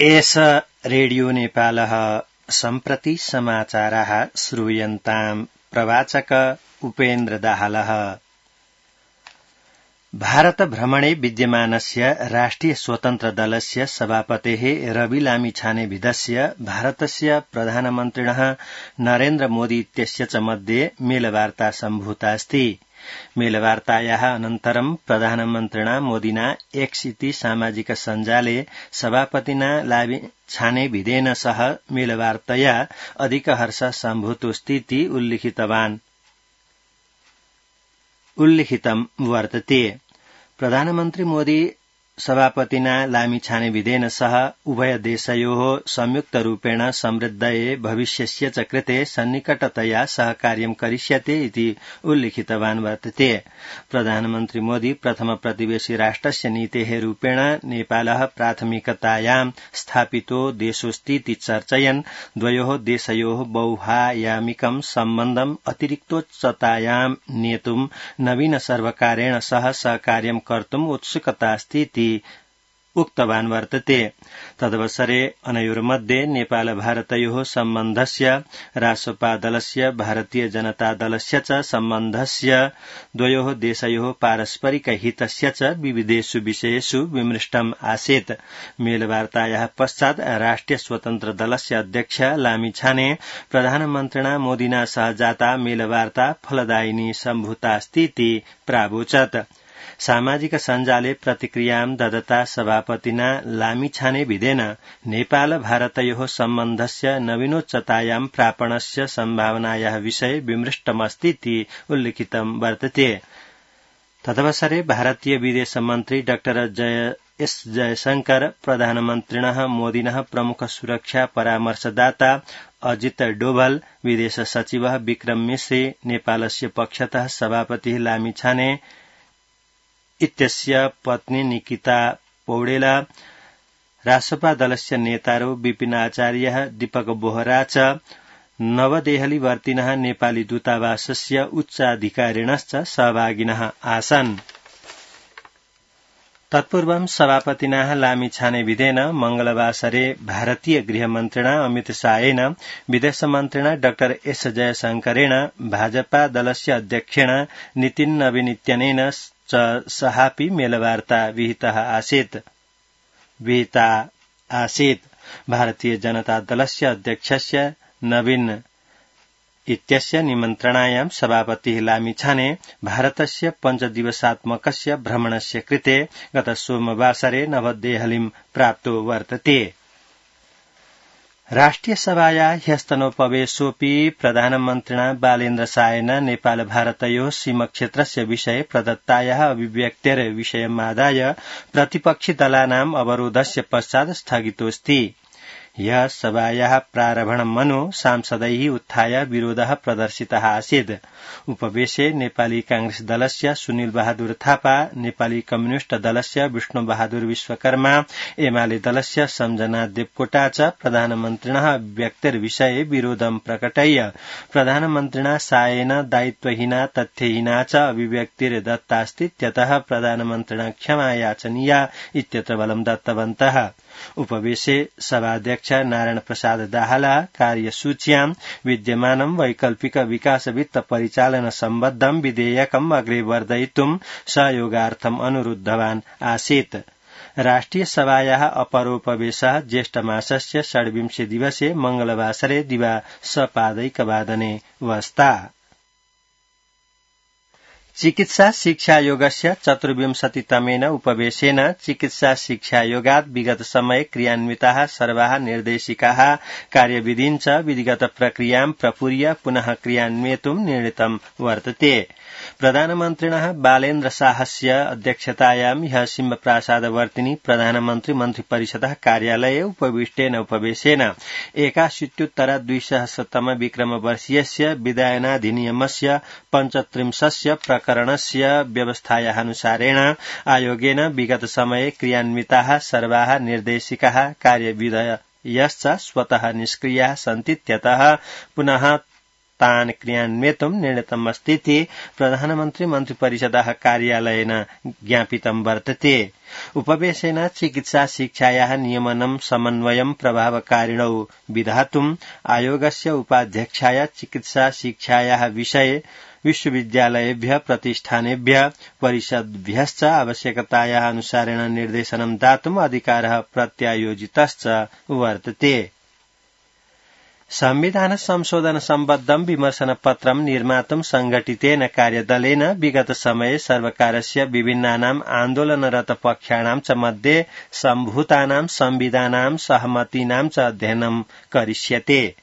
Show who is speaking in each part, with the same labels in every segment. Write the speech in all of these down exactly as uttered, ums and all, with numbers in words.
Speaker 1: एष रेडियो नेपालः सम्प्रति समाचाराः श्रूयन्ताम् प्रवाचक उपेन्द्र दाहालः। भारत भ्रमणे विद्यमानस्य राष्ट्रिय स्वतन्त्र दलस्य सभापतेः रवि लामिछानेविधस्य भारतस्य प्रधानमन्त्रिणः नरेन्द्र मोदी इत्यस्य च मध्ये मेलवार्ता सम्भूतास्ति। मेलवार्तायाः अनन्तरं प्रधानमन्त्रिणा मोदिना एक्स इति सामाजिक सञ्जाले सभापतिना लामिछानेविधेन सह मेलवार्तया अधिक हर्ष सम्भूतोऽस्तीति उल्लिखितवान् उल्लिखितं वर्तते। प्रधानमन्त्री मोदी सभापतिना लामिछानेविधेन सह उभय देशयोः संयुक्तरूपेण समृद्धये भविष्यस्य च कृते सन्निकटतया सहकार्यं करिष्यते इति उल्लिखितवान् वर्तते। प्रधानमन्त्री मोदी प्रथम प्रतिवेशी राष्ट्रस्य नीतेः रूपेण नेपालः प्राथमिकतायां स्थापितो देशोऽस्तीति चर्चयन् द्वयोः देशयोः बहुआयामिकं सम्बन्धम् अतिरिक्तोच्चतायां नेतुं नवीन सर्वकारेण सह सहकार्यं कर्तुम् उत्सुकतास्तीति उक्तवान् वर्तते। तदवसरे अनयोर्मध्ये नेपाल भारतयोः सम्बन्धस्य रासपा दलस्य भारतीय जनता दलस्य च सम्बन्धस्य द्वयोः देशयोः पारस्परिक हितस्य च विविधेषु विषयेषु विमृष्टम् आसीत्। मेलवार्तायाः पश्चात् राष्ट्रिय स्वतन्त्र दलस्य अध्यक्ष लामिछाने प्रधानमन्त्रिणा मोदिना सह जाता मेलवार्ता फलदायिनी सम्भूतास्तीति प्रावोचत्। सामाजिक सञ्जाले प्रतिक्रियां ददता सभापतिना लामिछानेविधेन नेपाल भारतयोः सम्बन्धस्य नवीनोच्चतायां प्रापणस्य सम्भावनायाः विषये विमृष्टमस्तीति उल्लिखितं वर्तते। तदवसरे भारतीय विदेश मन्त्री डाक्टर जय एस जयशंकर प्रधानमन्त्रिणः मोदिनः प्रमुख सुरक्षा परामर्शदाता अजित डोभल विदेश सचिवः विक्रम मिश्री नेपालस्य पक्षतः सभापतिः लामिछाने इत्यस्य पत्नी निकिता पौडेला रासपा दलस्य नेतारो विपिन आचार्यः दीपक बोहरा च नवदेहलीवर्तिनः नेपाली दूतावासस्य उच्चाधिकारिणश्च सहभागिनः आसन्। तत्पूर्वं सभापतिना लामिछानेविधेन मंगलवासरे भारतीय गृहमन्त्रिणा अमित शाहेन विदेशमन्त्रिणा डाक्टर एस जयशंकरेण भाजपा दलस्य अध्यक्षेण नितिन नवीन इत्यनेन च सहापि मेलवार्ता विहितः आसीत् विहिता आसीत्। भारतीय जनता दलस्य अध्यक्षस्य नवीन इत्यस्य निमन्त्रणायां सभापतिः लामिछाने भारतस्य पञ्चदिवसात्मकस्य भ्रमणस्य कृते गत सोमवासरे नवदेहलीं प्राप्तो वर्तते। राष्ट्रिय सभाया ह्यस्तनोपवेशोऽपि प्रधानमन्त्रिणा बालेन्द्र शाहेन नेपाल भारतयोः सीमक्षेत्रस्य विषये प्रदत्तायाः अभिव्यक्तेर्विषयमादाय प्रतिपक्षि दलानाम् अवरोधस्य पश्चात् स्थगितोऽस्ति। ह्यः सभायाः प्रारम्भणमनु सांसदैः उत्थाय विरोधः प्रदर्शितः आसीत्। उपवेशे नेपाली कांग्रेस दलस्य सुनिल बहादुर थापा, नेपाली कम्युनिष्ट दलस्य विष्णु बहादुर विश्वकर्मा, एमाले दलस्य सम्झना देवकोटा च प्रधानमन्त्रिणः अभिव्यक्तिर्विषये विरोधं प्रकटय्य प्रधानमन्त्रिणा शाहेन दायित्वहीना तथ्यहीना च अभिव्यक्तिर्दत्तास्तीत्यतः प्रधानमन्त्रिणा क्षमा याचनीया इत्यत्र बलं दत्तवन्तः। उपवेशे सभाध्यक्ष नारायण प्रसाद दाहाला कार्यसूच्यां विद्यमानं वैकल्पिक विकास वित्त परिचालन सम्बद्धं विधेयकम् अग्रे वर्धयितुं सहयोगार्थम् अनुरुद्धवान् आसीत्। राष्ट्रिय सभायाः अपरोपवेशः ज्येष्ठमासस्य षड्विंशे दिवसे मंगलवासरे दिवा सपादैकवादने वस्ता। चिकित्सा शिक्षायोगस्य चतुर्विंशतितमेन उपवेशेन चिकित्सा शिक्षायोगात् विगत समये क्रियान्विताः सर्वाः निर्देशिकाः कार्यविधिं च विधिगत प्रक्रियां प्रपूर्य पुनः क्रियान्वेतुं निर्णीतं वर्तते। प्रधानमन्त्रिणः बालेन्द्र शाहस्य अध्यक्षतायां ह्यः सिंहप्रासादवर्तिनि प्रधानमन्त्री मन्त्रिपरिषदः कार्यालये उपविष्टेन उपवेशेन एकाशीत्युत्तर द्विसहस्रतम विक्रमवर्षीयस्य विधायनाधिनियमस्य पञ्चत्रिंशस्य प्रकरणस्य व्यवस्थायानुसारेण आयोगेन विगत समये क्रियान्विताः सर्वाः निर्देशिकाः कार्यविधयश्च स्वतः निष्क्रियाः सन्तीत्यतः पुनः तान् क्रियान्वेतुं निर्णीतमस्तीति प्रधानमन्त्री मन्त्रिपरिषदः कार्यालयेन ज्ञापितं वर्तते। उपवेशेन चिकित्सा शिक्षायाः नियमनं समन्वयं प्रभावकारिणौ विधातुम् आयोगस्य उपाध्यक्षाय चिकित्सा शिक्षायाः विषये विश्वविद्यालयेभ्यः प्रतिष्ठानेभ्यः परिषद्भ्यश्च आवश्यकतायाः अनुसारेण निर्देशनं दातुम् अधिकारः प्रत्यायोजितश्च वर्तते। संविधान संशोधन सम्बद्धं विमर्शनपत्रं निर्मातुं संघटितेन कार्यदलेन विगत समये सर्वकारस्य विभिन्नानाम् आन्दोलनरत पक्षाणां च मध्ये सम्भूतानां संविधानां सहमतीनां च अध्ययनं करिष्यते।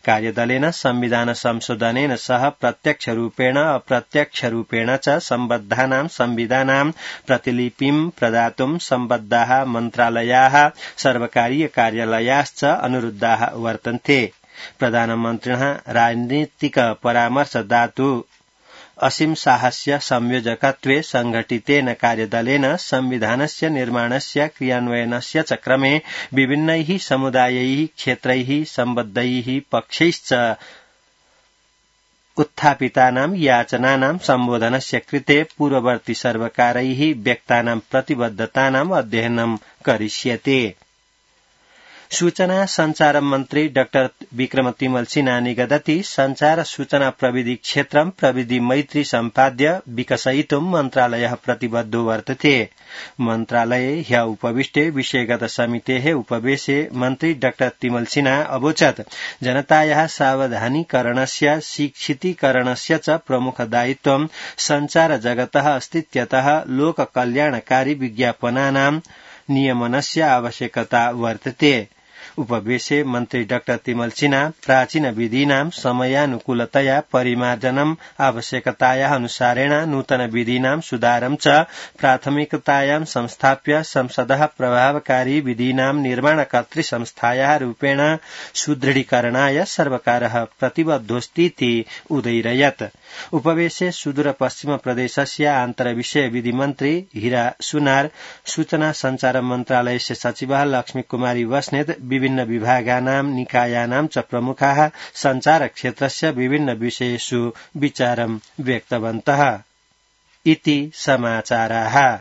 Speaker 1: कार्यदलेन संविधान संशोधनेन सह प्रत्यक्षरूपेण अप्रत्यक्षरूपेण च सम्बद्धानां संविधानां प्रतिलिपिं प्रदातुं सम्बद्धाः मन्त्रालयाः सर्वकारीय कार्यालयाश्च अनुरुद्धाः वर्तन्ते। प्रधानमन्त्रिणः राजनीतिक परामर्शदातु असीम साहस्य संयोजकत्वे संघटितेन कार्यदलेन संविधानस्य निर्माणस्य क्रियान्वयनस्य च क्रमे विभिन्नैः समुदायैः क्षेत्रैः सम्बद्धैः पक्षैश्च उत्थापितानां याचनानां सम्बोधनस्य कृते पूर्ववर्ती सर्वकारैः व्यक्तानां प्रतिबद्धतानाम् अध्ययनं करिष्यते। सूचना संचार मन्त्री डाक्टर विक्रम तिमल सिन्हा निगदति संचार सूचना प्रविधि क्षेत्रं प्रविधि मैत्री सम्पाद्य विकसयितुं मन्त्रालयः प्रतिबद्धो वर्तते। मन्त्रालये ह्य उपविष्टे विषयगत समितेः उपवेशे मन्त्री डाक्टर तिमल सिन्हा अवोचत् जनतायाः सावधानीकरणस्य शिक्षितीकरणस्य च प्रमुख दायित्वं संचार जगतः अस्तित्यतः लोककल्याणकारी विज्ञापनानां नियमनस्य आवश्यकता वर्तते। उपवेशे मन्त्री डाक्टर तिमल सिन्हा प्राचीन विधीनां समयानुकूलतया परिमार्जनम् आवश्यकतायाः अनुसारेण नूतन विधीनां सुधारं च प्राथमिकतायां संस्थाप्य संसदः प्रभावकारी विधीनां निर्माणकर्तृ संस्थायाः रूपेण सुदृढीकरणाय सर्वकारः प्रतिबद्धोऽस्तीति उदैरयत्। उपवेशे सुदूर पश्चिम प्रदेशस्य आन्तरविषय विधि मन्त्री हीरा सुनार, सूचना संचार मन्त्रालयस्य सचिवः लक्ष्मी कुमारी बस्नेत, विभिन्न विभागानां निकायानां च प्रमुखाः संचार क्षेत्रस्य विभिन्न विषयेषु विचारं व्यक्तवन्तः इति समाचाराः।